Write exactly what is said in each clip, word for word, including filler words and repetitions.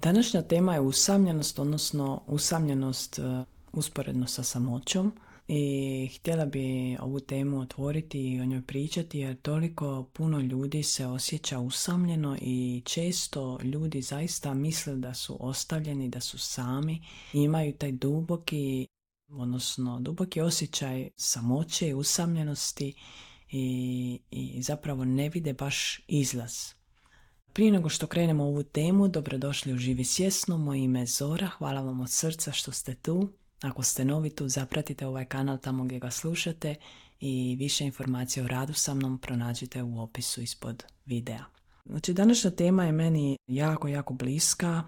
Današnja tema je usamljenost, odnosno usamljenost uh, usporedno sa samoćom i htjela bi ovu temu otvoriti i o njoj pričati jer toliko puno ljudi se osjeća usamljeno i često ljudi zaista misle da su ostavljeni, da su sami i imaju taj duboki, odnosno duboki osjećaj samoće i usamljenosti i, i zapravo ne vide baš izlaz. Prije nego što krenemo u ovu temu, dobrodošli u Živi svjesno, moje ime je Zora, hvala vam od srca što ste tu. Ako ste novi tu, zapratite ovaj kanal tamo gdje ga slušate i više informacija o radu sa mnom pronađite u opisu ispod videa. Znači, današnja tema je meni jako, jako bliska,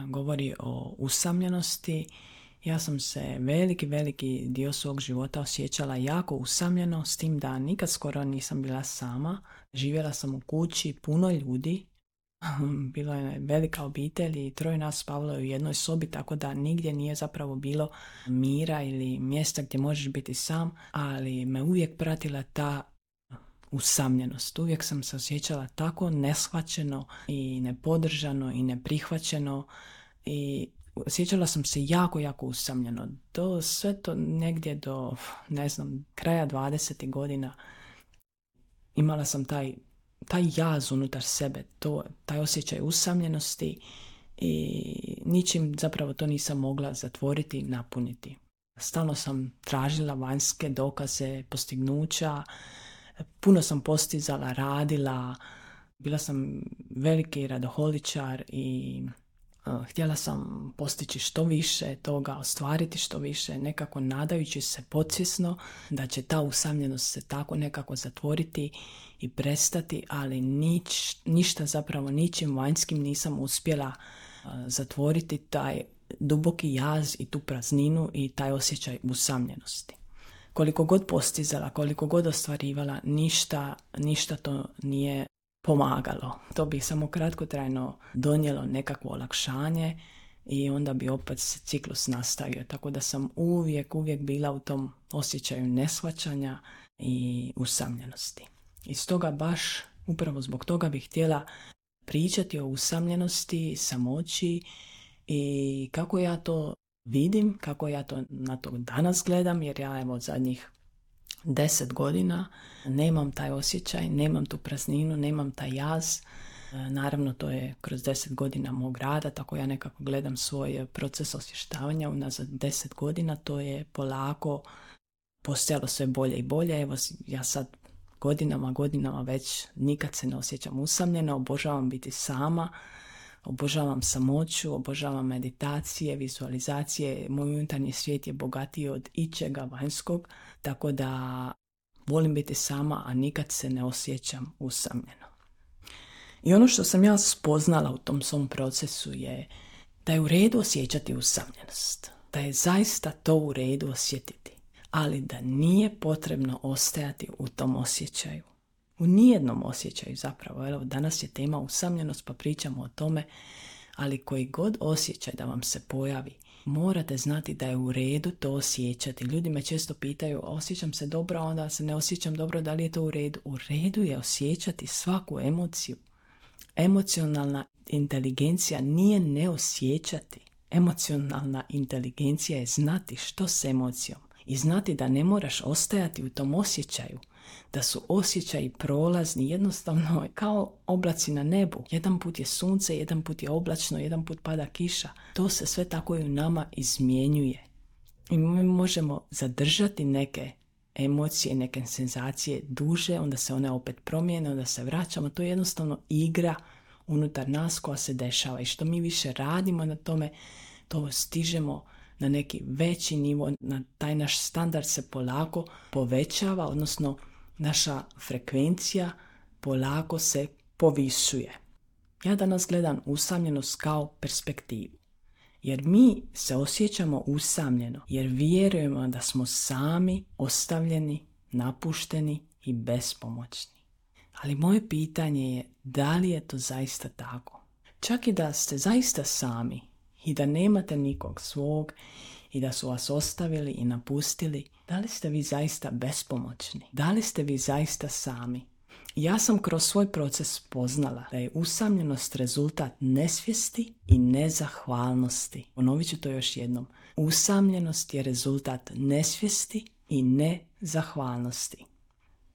govori o usamljenosti. Ja sam se veliki, veliki dio svog života osjećala jako usamljeno, s tim da nikad skoro nisam bila sama. Živjela sam u kući, puno ljudi. Bila je velika obitelj i troje nas spavalo u jednoj sobi, tako da nigdje nije zapravo bilo mira ili mjesta gdje možeš biti sam, ali me uvijek pratila ta usamljenost. Uvijek sam se osjećala tako neshvaćeno i nepodržano i neprihvaćeno i osjećala sam se jako, jako usamljeno. Do, sve to negdje do, ne znam, kraja dvadesetih godina imala sam taj taj jaz unutar sebe, to, taj osjećaj usamljenosti i ničim zapravo to nisam mogla zatvoriti i napuniti. Stalno sam tražila vanjske dokaze, postignuća, puno sam postizala, radila, bila sam veliki radoholičar i uh, htjela sam postići što više toga, ostvariti što više, nekako nadajući se podsvjesno da će ta usamljenost se tako nekako zatvoriti i prestati, ali nič, ništa zapravo ničim vanjskim nisam uspjela uh, zatvoriti taj duboki jaz i tu prazninu i taj osjećaj usamljenosti. Koliko god postizala, koliko god ostvarivala, ništa, ništa to nije pomagalo. To bi samo kratkotrajno donijelo nekakvo olakšanje i onda bi opet se ciklus nastavio. Tako da sam uvijek, uvijek bila u tom osjećaju neshvaćanja i usamljenosti. I stoga baš, upravo zbog toga bih htjela pričati o usamljenosti, samoći i kako ja to vidim, kako ja to na to danas gledam, jer ja evo od zadnjih deset godina nemam taj osjećaj, nemam tu prazninu, nemam taj jaz. Naravno, to je kroz deset godina mog rada, tako ja nekako gledam svoj proces osvještavanja unazad deset godina, to je polako postajalo sve bolje i bolje. Evo ja sad godinama, godinama već nikad se ne osjećam usamljeno, obožavam biti sama, obožavam samoću, obožavam meditacije, vizualizacije, moj unutarnji svijet je bogatiji od ičega vanjskog, tako da volim biti sama, a nikad se ne osjećam usamljeno. I ono što sam ja spoznala u tom svom procesu je da je u redu osjećati usamljenost, da je zaista to u redu osjetiti, ali da nije potrebno ostajati u tom osjećaju. U nijednom osjećaju zapravo. Evo, danas je tema usamljenost pa pričamo o tome, ali koji god osjećaj da vam se pojavi, morate znati da je u redu to osjećati. Ljudi me često pitaju, osjećam se dobro, onda se ne osjećam dobro, da li je to u redu? U redu je osjećati svaku emociju. Emocionalna inteligencija nije ne osjećati. Emocionalna inteligencija je znati što s emocijom i znati da ne moraš ostajati u tom osjećaju, da su osjećaji prolazni, jednostavno kao oblaci na nebu. Jedan put je sunce, jedan put je oblačno, jedan put pada kiša. To se sve tako i u nama izmjenjuje. I mi možemo zadržati neke emocije, neke senzacije duže, onda se one opet promijene, onda se vraćamo. To je jednostavno igra unutar nas koja se dešava i što mi više radimo na tome, to stižemo na neki veći nivo, na taj naš standard se polako povećava, odnosno naša frekvencija polako se povisuje. Ja danas gledam usamljenost kao perspektivu. Jer mi se osjećamo usamljeno, jer vjerujemo da smo sami, ostavljeni, napušteni i bespomoćni. Ali moje pitanje je, da li je to zaista tako? Čak i da ste zaista sami i da nemate nikog svog i da su vas ostavili i napustili, da li ste vi zaista bespomoćni? Da li ste vi zaista sami? Ja sam kroz svoj proces spoznala da je usamljenost rezultat nesvijesti i nezahvalnosti. Ponovit ću to još jednom. Usamljenost je rezultat nesvijesti i nezahvalnosti.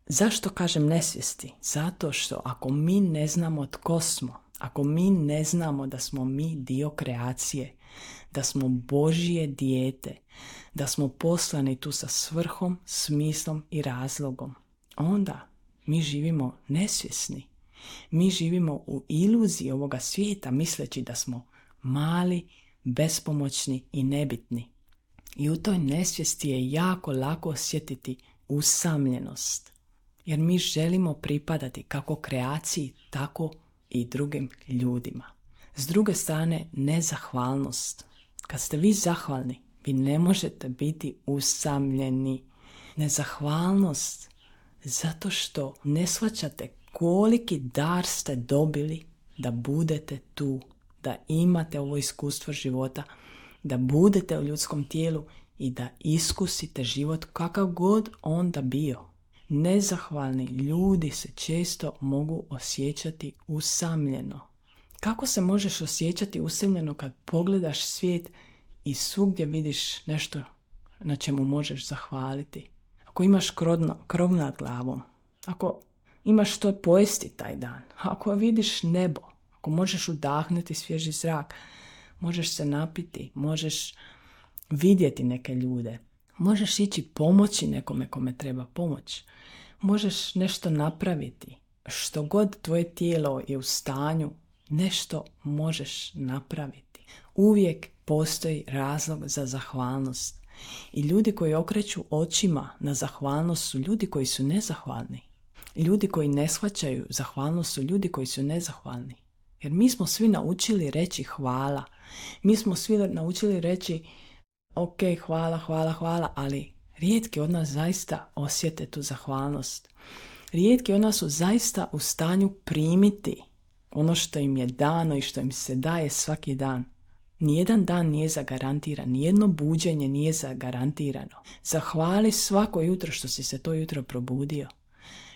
Zašto kažem nesvijesti? Zato što ako mi ne znamo tko smo, ako mi ne znamo da smo mi dio kreacije, da smo Božje dijete, da smo poslani tu sa svrhom, smislom i razlogom, onda mi živimo nesvjesni. Mi živimo u iluziji ovoga svijeta misleći da smo mali, bespomoćni i nebitni. I u toj nesvijesti je jako lako osjetiti usamljenost. Jer mi želimo pripadati kako kreaciji, tako i drugim ljudima. S druge strane, nezahvalnost. Kad ste vi zahvalni, vi ne možete biti usamljeni. Nezahvalnost zato što ne shvaćate koliki dar ste dobili da budete tu, da imate ovo iskustvo života, da budete u ljudskom tijelu i da iskusite život kakav god on da bio. Nezahvalni ljudi se često mogu osjećati usamljeno. Kako se možeš osjećati usamljeno kad pogledaš svijet i svugdje vidiš nešto na čemu možeš zahvaliti? Ako imaš krov, krov nad glavom, ako imaš što pojesti taj dan, ako vidiš nebo, ako možeš udahnuti svježi zrak, možeš se napiti, možeš vidjeti neke ljude, možeš ići pomoći nekome kome treba pomoć, možeš nešto napraviti, što god tvoje tijelo je u stanju, nešto možeš napraviti. Uvijek postoji razlog za zahvalnost. I ljudi koji okreću očima na zahvalnost su ljudi koji su nezahvalni. Ljudi koji ne shvaćaju zahvalnost su ljudi koji su nezahvalni. Jer mi smo svi naučili reći hvala. Mi smo svi naučili reći ok, hvala, hvala, hvala, ali rijetki od nas zaista osjete tu zahvalnost. Rijetki od nas su zaista u stanju primiti ono što im je dano i što im se daje svaki dan. Nijedan dan nije zagarantiran, nijedno buđenje nije zagarantirano. Zahvali svako jutro što si se to jutro probudio,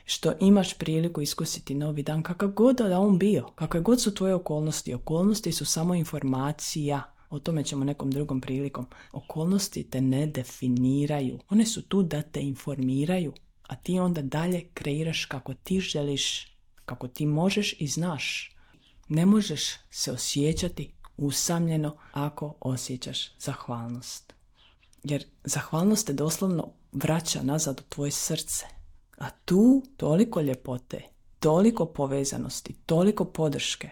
što imaš priliku iskusiti novi dan, kakav god da on bio, kakve god su tvoje okolnosti. Okolnosti su samo informacija, o tome ćemo nekom drugom prilikom. Okolnosti te ne definiraju, one su tu da te informiraju, a ti onda dalje kreiraš kako ti želiš, kako ti možeš i znaš. Ne možeš se osjećati usamljeno ako osjećaš zahvalnost. Jer zahvalnost te doslovno vraća nazad u tvoje srce. A tu toliko ljepote, toliko povezanosti, toliko podrške.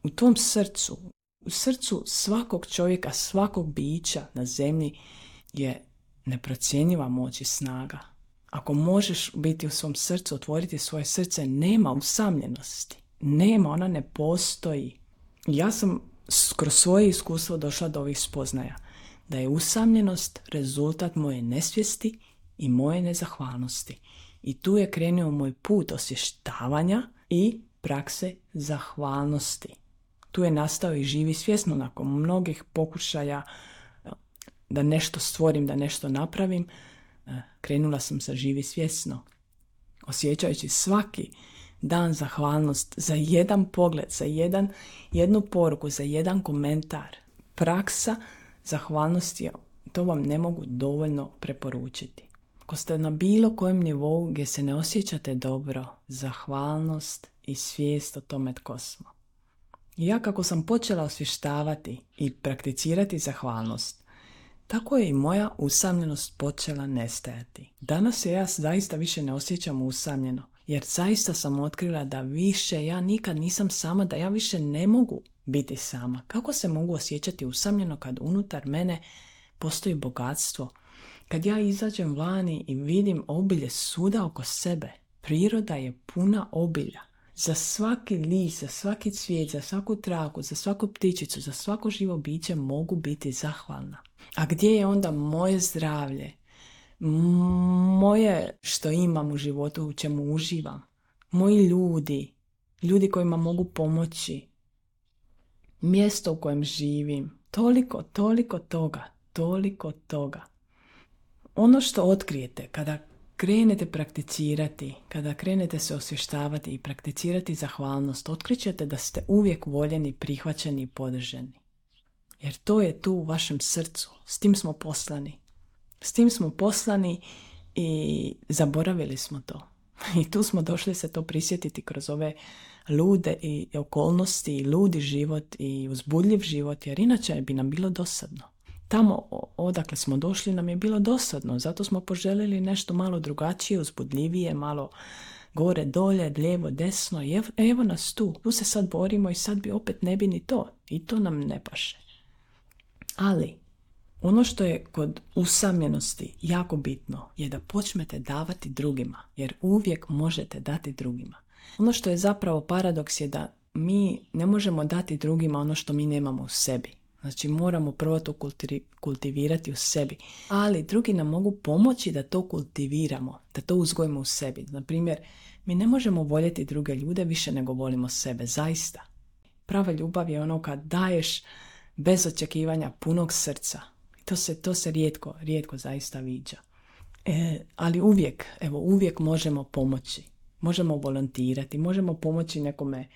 U tvom srcu, u srcu svakog čovjeka, svakog bića na zemlji je neprocjenjiva moć i snaga. Ako možeš biti u svom srcu, otvoriti svoje srce, nema usamljenosti. Nema, ona ne postoji. Ja sam kroz svoje iskustvo došla do ovih spoznaja da je usamljenost rezultat moje nesvijesti i moje nezahvalnosti. I tu je krenuo moj put osvještavanja i prakse zahvalnosti. Tu je nastao i živi svjesno nakon mnogih pokušaja da nešto stvorim, da nešto napravim. Krenula sam sa živi svjesno, osjećajući svaki dan zahvalnost za jedan pogled, za jedan, jednu poruku, za jedan komentar. Praksa zahvalnosti, to vam ne mogu dovoljno preporučiti. Ako ste na bilo kojem nivou gdje se ne osjećate dobro, zahvalnost i svijest o tome tko smo. I ja kako sam počela osvještavati i prakticirati zahvalnost, tako je i moja usamljenost počela nestajati. Danas se ja zaista više ne osjećam usamljeno, jer zaista sam otkrila da više ja nikad nisam sama, da ja više ne mogu biti sama. Kako se mogu osjećati usamljeno kad unutar mene postoji bogatstvo? Kad ja izađem vani i vidim obilje svuda oko sebe, priroda je puna obilja. Za svaki list, za svaki cvijet, za svaku traku, za svaku ptičicu, za svako živo biće mogu biti zahvalna. A gdje je onda moje zdravlje? Moje što imam u životu, u čemu uživam? Moji ljudi, ljudi kojima mogu pomoći, mjesto u kojem živim, toliko, toliko toga, toliko toga. Ono što otkrijete kada krenete prakticirati, kada krenete se osvještavati i prakticirati zahvalnost, otkrićete da ste uvijek voljeni, prihvaćeni i podržani. Jer to je tu u vašem srcu. S tim smo poslani. S tim smo poslani i zaboravili smo to. I tu smo došli se to prisjetiti kroz ove lude i okolnosti i ludi život i uzbudljiv život, jer inače bi nam bilo dosadno. Tamo odakle smo došli nam je bilo dosadno, zato smo poželjeli nešto malo drugačije, uzbudljivije, malo gore, dolje, lijevo, desno. I evo, evo nas tu. Tu se sad borimo i sad bi opet ne bi ni to. I to nam ne paše. Ali ono što je kod usamljenosti jako bitno je da počnete davati drugima, jer uvijek možete dati drugima. Ono što je zapravo paradoks je da mi ne možemo dati drugima ono što mi nemamo u sebi. Znači moramo prvo to kultivirati u sebi, ali drugi nam mogu pomoći da to kultiviramo, da to uzgojimo u sebi. Na primjer, mi ne možemo voljeti druge ljude više nego volimo sebe, zaista. Prava ljubav je ono kad daješ bez očekivanja punog srca. To se, to se rijetko, rijetko zaista viđa. E, ali uvijek, evo, uvijek možemo pomoći. Možemo volontirati, možemo pomoći nekome,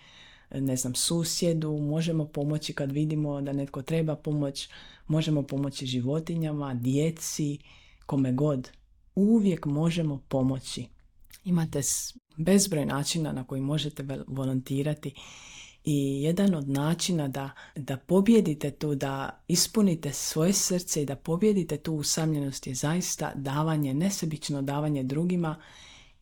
ne znam, susjedu, možemo pomoći kad vidimo da netko treba pomoć, možemo pomoći životinjama, djeci, kome god. Uvijek možemo pomoći. Imate bezbroj načina na koji možete volontirati i jedan od načina da, da pobjedite tu, da ispunite svoje srce i da pobjedite tu usamljenost je zaista davanje, nesebično davanje drugima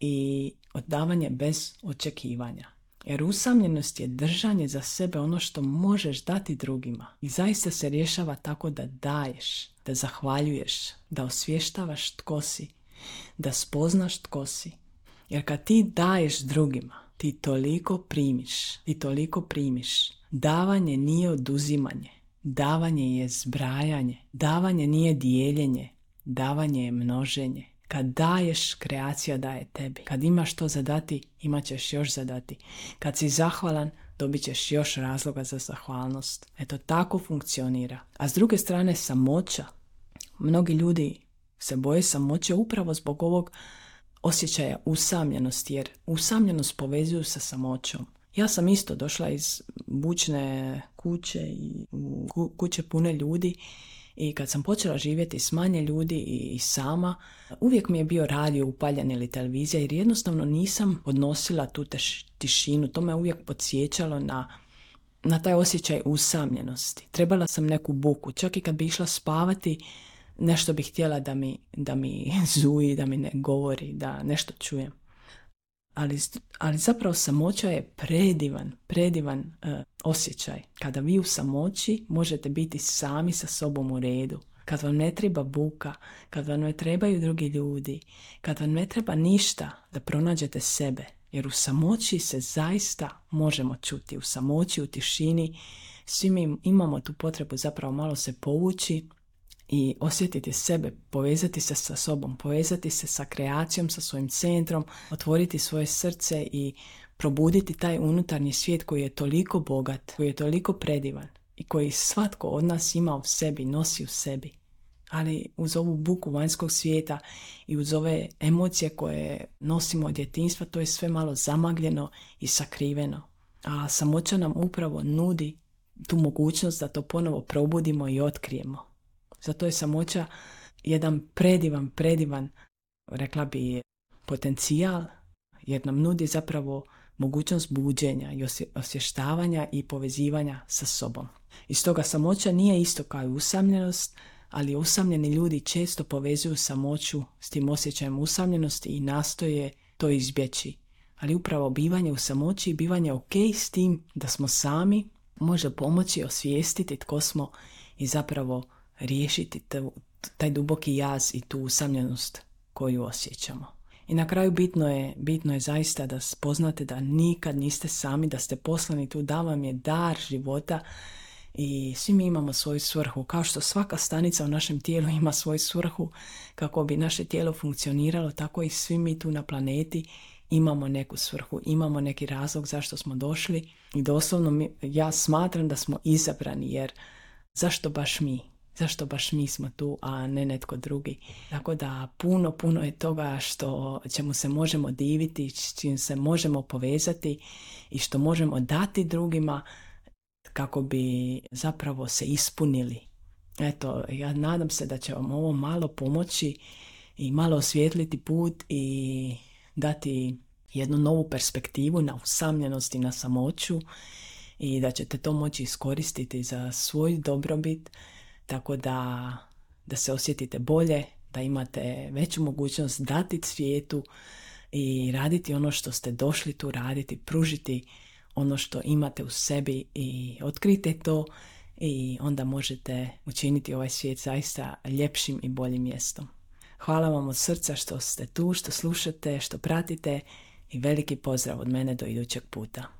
i oddavanje bez očekivanja. Jer usamljenost je držanje za sebe ono što možeš dati drugima. I zaista se rješava tako da daješ, da zahvaljuješ, da osvještavaš tko si, da spoznaš tko si. Jer kad ti daješ drugima, ti toliko primiš, ti toliko primiš. Davanje nije oduzimanje, davanje je zbrajanje, davanje nije dijeljenje, davanje je množenje. Kad daješ, kreacija daje tebi. Kad imaš to zadati, imat ćeš još zadati. Kad si zahvalan, dobit ćeš još razloga za zahvalnost. Eto, tako funkcionira. A s druge strane, samoća. Mnogi ljudi se boje samoće upravo zbog ovog osjećaja usamljenosti, jer usamljenost povezuju sa samoćom. Ja sam isto došla iz bučne kuće i u kuće pune ljudi i kad sam počela živjeti s manje ljudi i sama, uvijek mi je bio radio upaljen ili televizija jer jednostavno nisam odnosila tu teš, tišinu. To me uvijek podsjećalo na, na taj osjećaj usamljenosti. Trebala sam neku buku. Čak i kad bi išla spavati, nešto bih htjela da mi, da mi zuji, da mi ne govori, da nešto čujem. Ali, ali zapravo samoća je predivan, predivan uh, osjećaj. Kada vi u samoći možete biti sami sa sobom u redu. Kad vam ne treba buka, kad vam ne trebaju drugi ljudi, kad vam ne treba ništa da pronađete sebe. Jer u samoći se zaista možemo čuti. U samoći, u tišini, svi mi imamo tu potrebu zapravo malo se povući i osjetiti sebe, povezati se sa sobom, povezati se sa kreacijom, sa svojim centrom, otvoriti svoje srce i probuditi taj unutarnji svijet koji je toliko bogat, koji je toliko predivan i koji svatko od nas ima u sebi, nosi u sebi. Ali uz ovu buku vanjskog svijeta i uz ove emocije koje nosimo od djetinjstva, to je sve malo zamagljeno i sakriveno. A samoća nam upravo nudi tu mogućnost da to ponovo probudimo i otkrijemo. Zato je samoća jedan predivan, predivan, rekla bi, potencijal, jer nam nudi zapravo mogućnost buđenja i osvještavanja i povezivanja sa sobom. I stoga samoća nije isto kao i usamljenost, ali usamljeni ljudi često povezuju samoću s tim osjećajem usamljenosti i nastoje to izbjeći. Ali upravo bivanje u samoći i bivanje ok s tim da smo sami može pomoći osvijestiti tko smo i zapravo riješiti taj duboki jaz i tu usamljenost koju osjećamo. I na kraju bitno je, bitno je zaista da spoznate da nikad niste sami, da ste poslani tu, da vam je dar života i svi mi imamo svoju svrhu. Kao što svaka stanica u našem tijelu ima svoju svrhu kako bi naše tijelo funkcioniralo, tako i svi mi tu na planeti imamo neku svrhu, imamo neki razlog zašto smo došli i doslovno mi, ja smatram da smo izabrani, jer zašto baš mi? Zašto baš mi smo tu, a ne netko drugi? Tako da puno, puno je toga što čemu se možemo diviti, s čim se možemo povezati i što možemo dati drugima kako bi zapravo se ispunili. Eto, ja nadam se da će vam ovo malo pomoći i malo osvijetliti put i dati jednu novu perspektivu na usamljenost i na samoću i da ćete to moći iskoristiti za svoj dobrobit, tako da, da se osjetite bolje, da imate veću mogućnost dati svijetu i raditi ono što ste došli tu raditi, pružiti ono što imate u sebi i otkrite to i onda možete učiniti ovaj svijet zaista ljepšim i boljim mjestom. Hvala vam od srca što ste tu, što slušate, što pratite i veliki pozdrav od mene do idućeg puta.